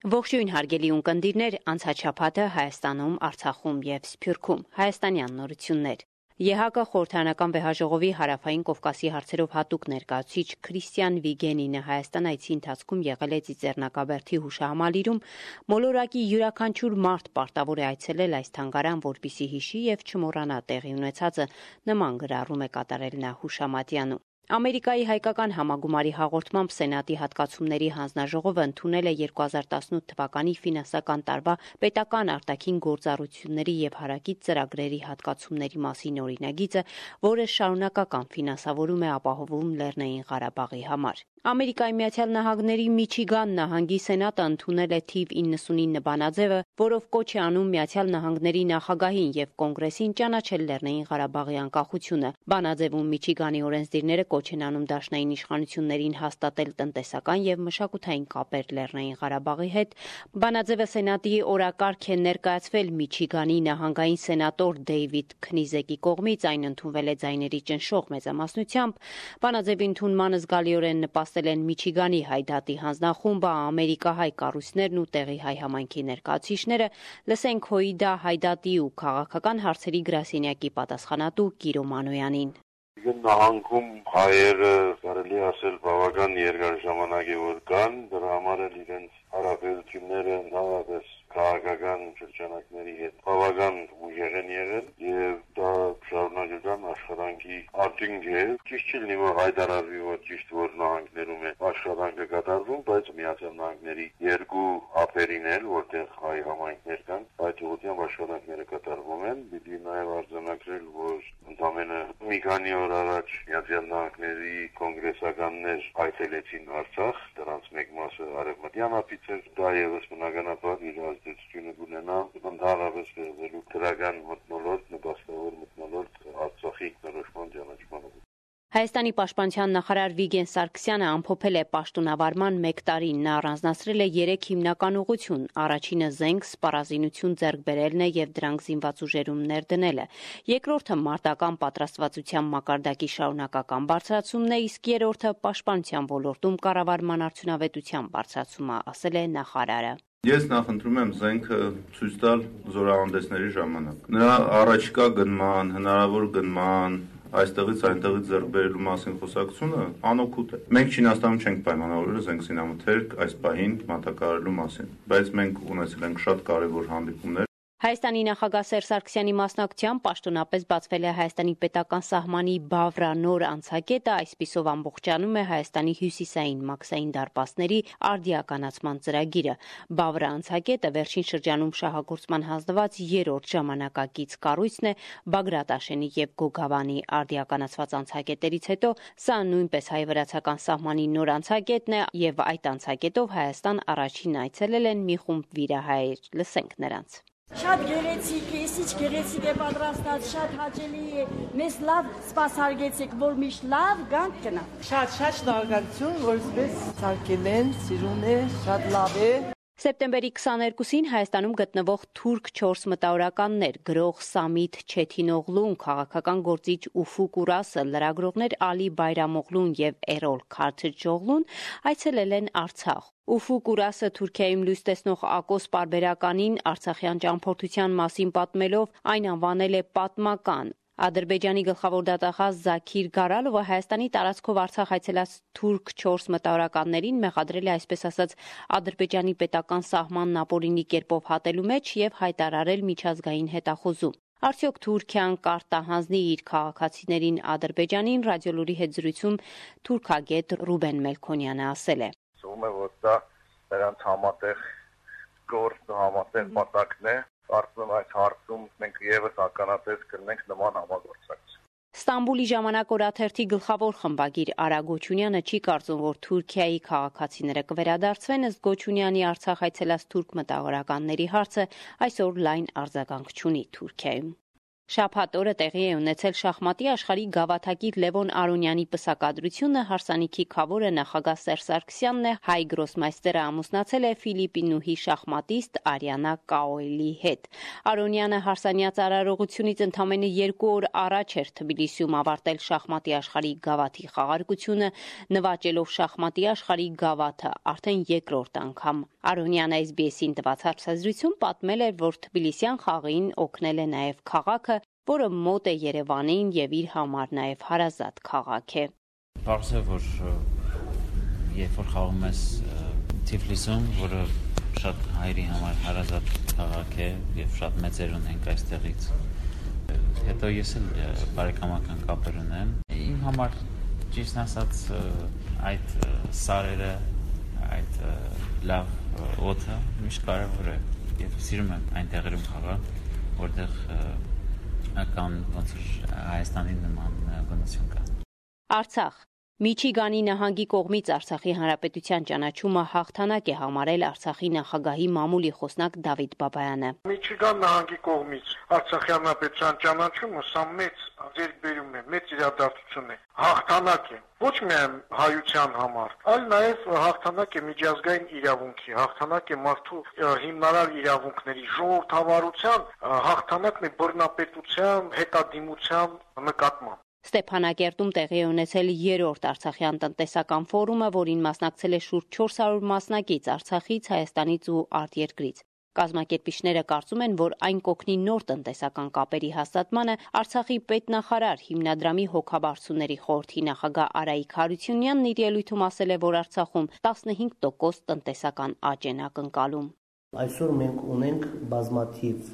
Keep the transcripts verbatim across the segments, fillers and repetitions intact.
Ողջույն հարգելի ունկնդիրներ, անցաչափաթը Հայաստանում, Արցախում եւ Սփյուռքում, հայաստանյան նորություններ։ ԵՀԿ խորհրդարանական վեհաժողովի հարավային Կովկասի հարցերով հատուկ ներկայացուցիչ Քրիստիան Վիգենինը Հայաստան այցի ընթացքում եղել է Ծիծեռնակաբերդի հուշահամալիրում, մոլորակի յուրաքանչյուր մարդ պարտավոր է այցելել այս թանգարան, որպեսզի հիշի եւ չմոռանա տեղի ունեցածը, նման գրառում է կատարել նա հուշամատյանում։ Ամերիկայի հայկական համագումարի հաղորդմամբ Սենատի հատկացումների հանձնաժողովը ընդունել է երկու հազար տասնութ թվականի ֆինանսական տարվա պետական արտաքին գործառույթների եւ հարակից ծրագրերի հատկացումների մասին օրինագիծը, որը շարունակական ֆինանսավորում է ապահովում Լեռնային Ղարաբաղի համար։ Ամերիկայի Միացյալ Նահանգների Միչիգան նահանգի Սենատը ընդունել է թիվ իննսունինը բանաձևը, որով կոչ է անում Միացյալ Նահանգների նախագահին եւ կոնգրեսին ճանաչել Լեռնային Ղարաբաղի անկախությունը։ Բանաձևում Միչիգանի օրենսդիրները կոչ են անում դաշնային իշխանություններին հաստատել տնտեսական եւ մշակութային կապեր Լեռնային Ղարաբաղի հետ։ Բանաձևը Սենատի օրակարգ է ներկայացվել Միչիգանի նահանգային սենատոր Դեյվիդ Քնիզեկի կողմից, այն ընդունվել է ձայների ճնշող մեծամասնությամբ։ Բանաձևի ընդունմանը զգալիորեն նպաստել են Միչիգանի հայ դատի հանձնախումբը, ամերիկահայ կառույցներն ու տեղի հայ համայնքի ներկայացուցիչները։ Լսենք Հոիդա հայ դատի ու քաղաքական հարցերի գրասենյակի պատասխանատու Կիրո Մանոյանին։ Նահանգում հայերը կարելի ասել բավական երկար ժամանակ է որ կան, դրա համար էլ իրենց հարաբերությունները նավապես քաղաքական շրջանակների հետ բավական ուժեղ են եղել եւ դա շարունակական աշխատանքի արդյունք է։ Ճիշտ չի լինի որ հայտարարվի որ ճիշտ որ նահանգներում է աշխատանքը կատարվում, բայց Միացյալ Նահանգների երկու ափերին էլ որտեղ հայ համայնքներ կան, այդ ուղղությամբ աշխատանքները կատարվում են։ Պիտի նաեւ արձանագրել որ ընդամենը մի քանի օր առաջ Միացյալ Նահանգների կոնգրեսականներ այցելեցին Արցախ, դրանց մեկ մասը արևմտյան ափից էր, դա եւս բնականաբար իր ազդեցությունը կունենա ընդհանրապես վերաբերելու դրական մթնոլորտ, նպաստավոր մթնոլորտ Արցախի ինքնորոշման ճանաչմանը։ Հայաստանի պաշտպանության նախարար Վիգեն Սարգսյանը ամփոփել է պաշտոնավարման մեկ տարին։ Նա առանձնացրել է երեք հիմնական ուղղություն։ Առաջինը զենք, սպառազինություն ձեռք բերելն է եւ դրանք զինված ուժերում ներդնելը։ Երկրորդը մարտական պատրաստվածության մակարդակի շարունակական բարձրացումն է, իսկ երրորդը պաշտպանության ոլորտում կառավարման արդյունավետության բարձրացումը, ասել է նախարարը։ Ես նախընտրում եմ զենքը ցույց տալ զորահանդեսների ժամանակ։ Նրա առաջկա գնման, հնարավոր գնման այստեղից այնտեղից ձեռք բերելու մասին խոսակցությունը անօգուտ է։ Մենք Չինաստանում չենք պայմանավորել զենք զինամթերք այս պահին մատակարարելու մասին, բայց մենք ունեցել ենք շատ կարևոր հանդիպումներ։ Հայաստանի նախագահ Սերժ Սարգսյանի մասնակցությամբ պաշտոնապես բացվել է Հայաստանի պետական սահմանի Բավրա նոր անցակետը, այսպիսով ամբողջանում է Հայաստանի հյուսիսային մաքսային դարպասների արդիականացման ծրագիրը։ Բավրա անցակետը վերջին շրջանում շահագործման հանձնված երրորդ ժամանակակից կառույցն է Բագրատ Աշենի եւ Գոգավանի արդիականացված անցակետերից հետո սա նույնպես հայ-վրացական սահմանի նոր անցակետն է եւ այդ անցակետով Հայաստան առաջին այցելել են մի խումբ վիրահայեր։ Լսենք նրանց։ Շատ գեղեցիկ է, ինչ գեղեցիկ է պատրաստած, շատ հաճելի է։ Մեզ լավ սպասարկեցիք, որ միշտ լավ գանք գնա։ Շատ շատ շնորհակալություն, որ այսպես սարքել են, սիրուն է, շատ լավ է։ Սեպտեմբերի քսաներկուսին Հայաստանում գտնվող թուրք չորս մտավորականներ գրող Սամիթ Չեթինօղլուն, քաղաքական գործիչ Ուֆուկ Ուրասը, լրագրողներ Ալի Բայրամօղլուն եւ Էրոլ Քարթեջօղլուն այցելել են Արցախ։ Ուֆուկ Ուրասը Թուրքիայում լույս տեսնող Ակոս պարբերականին Արցախյան ճամփորդության մասին պատմելով այն անվանել է պատմական։ Ադրբեջանի գլխավոր դատախազ Զաքիր Գարալովը Հայաստանի տարածքով Արցախ այցելած թուրք չորս մտավորականներին մեղադրել է այսպես ասած Ադրբեջանի պետական սահմանն ապօրինի կերպով հատելու մեջ եւ հայտարարել միջազգային հետախուզում։ Արդյոք Թուրքիան կարտահանձնի իր քաղաքացիներին Ադրբեջանին, Ռադիոլուրի հետ զրույցում թուրքագետ Ռուբեն Մելքոնյանը ասել է. Ում է որ դա նրանց համատեղ գործ համատեղ մտակն է։ Կարծում եմ այս հարցում մենք եւս ականատես կլինենք նման համագործակցության։ Ստամբուլի ժամանակ օրաթերթի գլխավոր խմբագիր Արա Գոչունյանը չի կարծում, որ Թուրքիայի քաղաքացիները կվերադարձվեն, ըստ Գոչունյանի Արցախ այցելած թուրք մտավորականների հարցը այսօր լայն արձագանք չունի Թուրքիայում։ Շաբաթ օրը տեղի է ունեցել շախմատի աշխարհի գավաթակիր Լևոն Արոնյանի պսակադրությունը, հարսանիքի քավորը նախագահ Սերժ Սարգսյանն է, հայ գրոսմայստերը ամուսնացել է ֆիլիպինուհի շախմատիստ Արիանա Կաոելի հետ։ Արոնյանը հարսանյաց արարողությունից ընդամենը երկու օր առաջ էր Թբիլիսիում ավարտել շախմատի աշխարհի գավաթի խաղարկությունը, նվաճելով շախմատի աշխարհի գավաթը արդեն երկրորդ անգամ։ Արոնյանը էս բի էս-ին տված հարցազրույցում պատմել էր, որ թբիլիսյան խաղին օգնել է նաև քաղաքը, որը մոտ է Երևանին եւ իր համար նաև հարազատ քաղաք է։ Պարզ է, որ երբ որ խաղում ես Թիֆլիսում, որը շատ հայերի համար հարազատ քաղաք է եւ շատ մեծեր ունենք այստեղից, հետո ես էլ բարեկամական կապեր ունեմ։ Իմ համար ճիշտ ասած այդ սարերը, այդ լավ օդը միշտ կարևոր է եւ սիրում եմ այն տեղերում խաղալ, որտեղ կան ոնց որ Հայաստանի նման բնություն կա։ Արցախ Միչիգանի նահանգի կողմից Արցախի Հանրապետության ճանաչումը հաղթանակ է համարել Արցախի նախագահի մամուլի խոսնակ Դավիթ Բաբայանը։ Միչիգան նահանգի կողմից Արցախի Հանրապետության ճանաչումը սա մեծ ձեռքբերում է, մեծ իրադարձություն է, հաղթանակ է ոչ միայն հայության համար, այլ նաև հաղթանակ է միջազգային իրավունքի, հաղթանակ է մարդու հիմնարար իրավունքների, ժողովրդավարության, հաղթանակն է բռնապետության, հետադիմության նկատմամբ։ Ստեփանակերտում տեղի է ունեցել երրորդ Արցախյան տնտեսական ֆորումը, որին մասնակցել է շուրջ չորս հարյուր մասնակից Արցախից, Հայաստանից ու արտերկրից։ Կազմակերպիչները կարծում են, որ այն կօգնի նոր տնտեսական կապերի հաստատմանը։ Արցախի պետնախարար հիմնադրամի հոգաբարձուների խորհրդի նախագահ Արայիկ Հարությունյանն իր ելույթում ասել է, որ Արցախում տասնհինգ տոկոս տնտեսական աճ են ակնկալում։ Այսօր մենք ունենք բազմաթիվ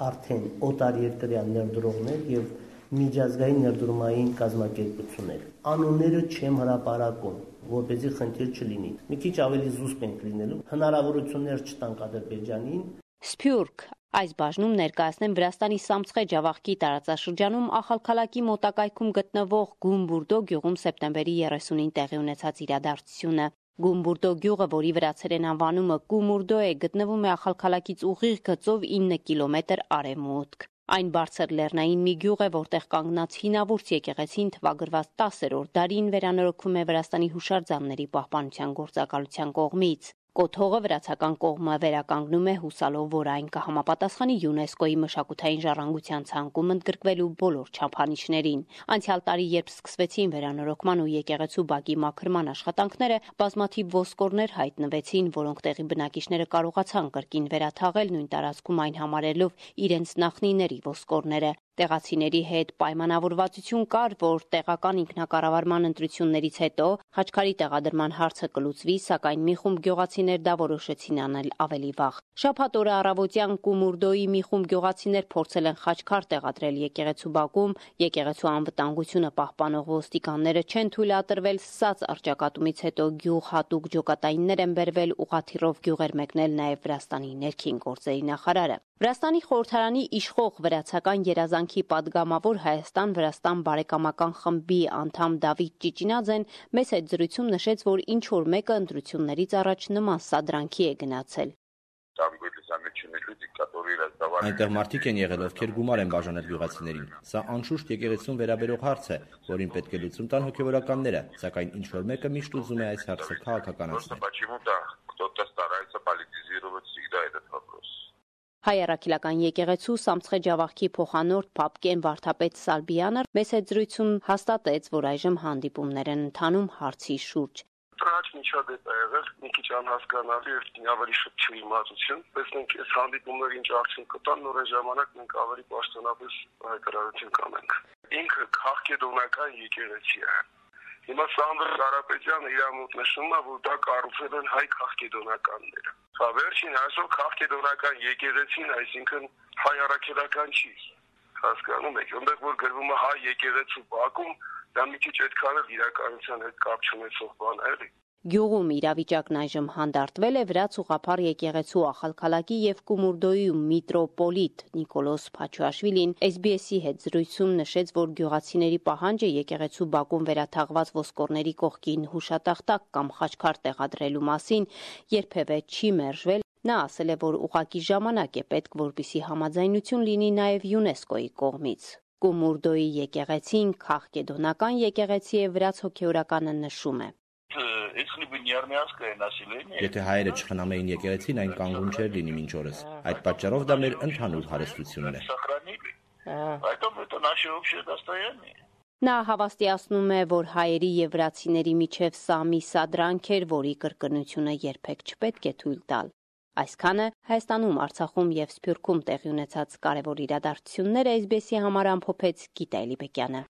արդեն օտարերկրյա ներդրողներ եւ միջազգային ներդրումային կազմակերպություններ։ Անունները չեմ հրապարակում, որպեսզի խնդիր չլինի։ Մի քիչ ավելի զուսպ ենք լինելու, հնարավորություններ չտանք Ադրբեջանին։ Սփյուռք այս բաժնում ներկայացնեմ Վրաստանի Սամցխե Ջավախքի տարածաշրջանում Ախալքալակի մոտակայքում գտնվող Գումբուրդո գյուղում սեպտեմբերի երեսունին տեղի ունեցած իրադարձությունը։ Գումբուրդո գյուղը, որի վրացերեն անվանումը Կումուրդո է, գտնվում է Ախալքալակից ուղիղ գծով ինը կիլոմետր արևմուտք։ Այն բարձր լեռնային մի գյուղ է, որտեղ կանգնած հինավուրց եկեղեցին թվագրված տասերորդ դարին վերանորոգվում է Վրաստանի հուշարձանների պահպանության գործակալության կողմից։ Կոթողը վրացական կողմը վերականգնում է հուսալով, որ այն կհամապատասխանի ՅՈՒՆԵՍԿՕ-ի մշակութային ժառանգության ցանկում ընդգրկվելու բոլոր չափանիշներին։ Անցյալ տարի, երբ սկսվեցին վերանորոգման ու եկեղեցու բակի մաքրման աշխատանքները, բազմաթիվ ոսկորներ հայտնվեցին, որոնք տեղի բնակիչները կարողացան կրկին վերաթաղել նույն տարածքում այն համարելով իրենց նախնիների ոսկորները։ Տեղացիների հետ պայմանավորվածություն կար, որ տեղական ինքնակառավարման ընտրություններից հետո խաչքարի տեղադրման հարցը կլուծվի, սակայն մի խումբ գյուղացիներ դա որոշեցին անել ավելի վաղ։ Շաբաթ օրը առավոտյան Կումուրդոյի մի խումբ գյուղացիներ փորձել են խաչքար տեղադրել եկեղեցու բակում, եկեղեցու անվտանգությունը պահպանող ոստիկանները չեն թույլատրվել, սած առճակատումից հետո գյուղ հատուկ ջոկատայիններ են բերվել, ուղղաթիռով գյուղեր մեկնել նաև Վրաստանի ներքին գործերի նախարարը։ Վրաստանի խորհրդարանի իշխող վրացական երազանքի падգամավոր Հայաստան-Վրաստան բարեկամական խմբի անդամ Դավիթ Ճիճինաձեն մեծ հետ զրույցում նշեց, որ ինչ որ մեկը ընտրություններից առաջ նման սադրանքի է գնացել։ Այնտեղ մարդիկ են եղել, ովքեր գումար են բաժանել գյուղացիներին։ Սա անշուշտ եկեղեցուն վերաբերող հարց է, որին պետք է լուծում տան հոգևորականները, սակայն ինչ որ մեկը միշտ ուզում է այս հարցը քաղաքականացնել։ Հայ առաքելական եկեղեցու Սամցխե Ջավախքի փոխանորդ Փապկեն Վարդապետ Սալբյանը մեծ հետ զրույցում հաստատեց, որ այժմ հանդիպումներ են ընթանում հարցի շուրջ։ Տրաչ միջադեպ է եղել, մի քիչ անհասկանալի եւ ավելի շուտ չիմացություն, տեսնենք այս հանդիպումները ինչ արդյունք կտան, նոր ժամանակ մենք ավելի պաշտոնապես հայտարարություն կանենք։ Ինքը քաղաքեդոնական եկեղեցի է։ Հիմա Սանդր Կարապետյանը իր մոտ նշում է, որ դա կառուցել են հայ քաղաքեդոնականները։ Հա վերջին այսօր քաղաքեդոնական եկեղեցին, այսինքն հայ առաքելական չի։ Հասկանում եք, այնտեղ որ գրվում է հայ եկեղեցու բակում, դա մի քիչ այդքան էլ իրականության հետ կապ չունեցող բան է, էլի։ Գյուղում իրավիճակն այժմ հանդարտվել է վրաց ուղղափառ եկեղեցու Ախալքալակի եւ Կումուրդոյի միտրոպոլիտ Նիկոլոս Փաչուաշվիլին էս բի էս-ի հետ զրույցում նշեց, որ գյուղացիների պահանջը եկեղեցու բակում վերաթաղված ոսկորների կողքին հուշատախտակ կամ խաչքար տեղադրելու մասին երբևէ չի մերժվել Նա ասել է, որ ուղղակի ժամանակ է պետք, որպեսզի համաձայնություն լինի նաև ՅՈՒՆԵՍԿՕ-ի կողմից։ Կումուրդոյի եկեղեցին քաղկեդոնական եկեղեցի է, վրաց հոգևորականը նշում է։ Եթե հայերը չխնամեին եկեղեցին, այն կանգուն չէր լինի մինչ օրս։ Այդ պատճառով դա մեր ընդհանուր հարստությունն է։ Նա հավաստիացնում է, որ հայերի եւ վրացիների միջև սա մի սադրանք էր, որի կրկնությունը երբեք չպետք է թույլ տալ։ Այսքանը Հայաստանում, Արցախում եւ Սփյուռքում տեղի ունեցած կարևոր իրադարձությունները էս բի էսի համար ամփոփեց Գիտա Էլիբեկյանը։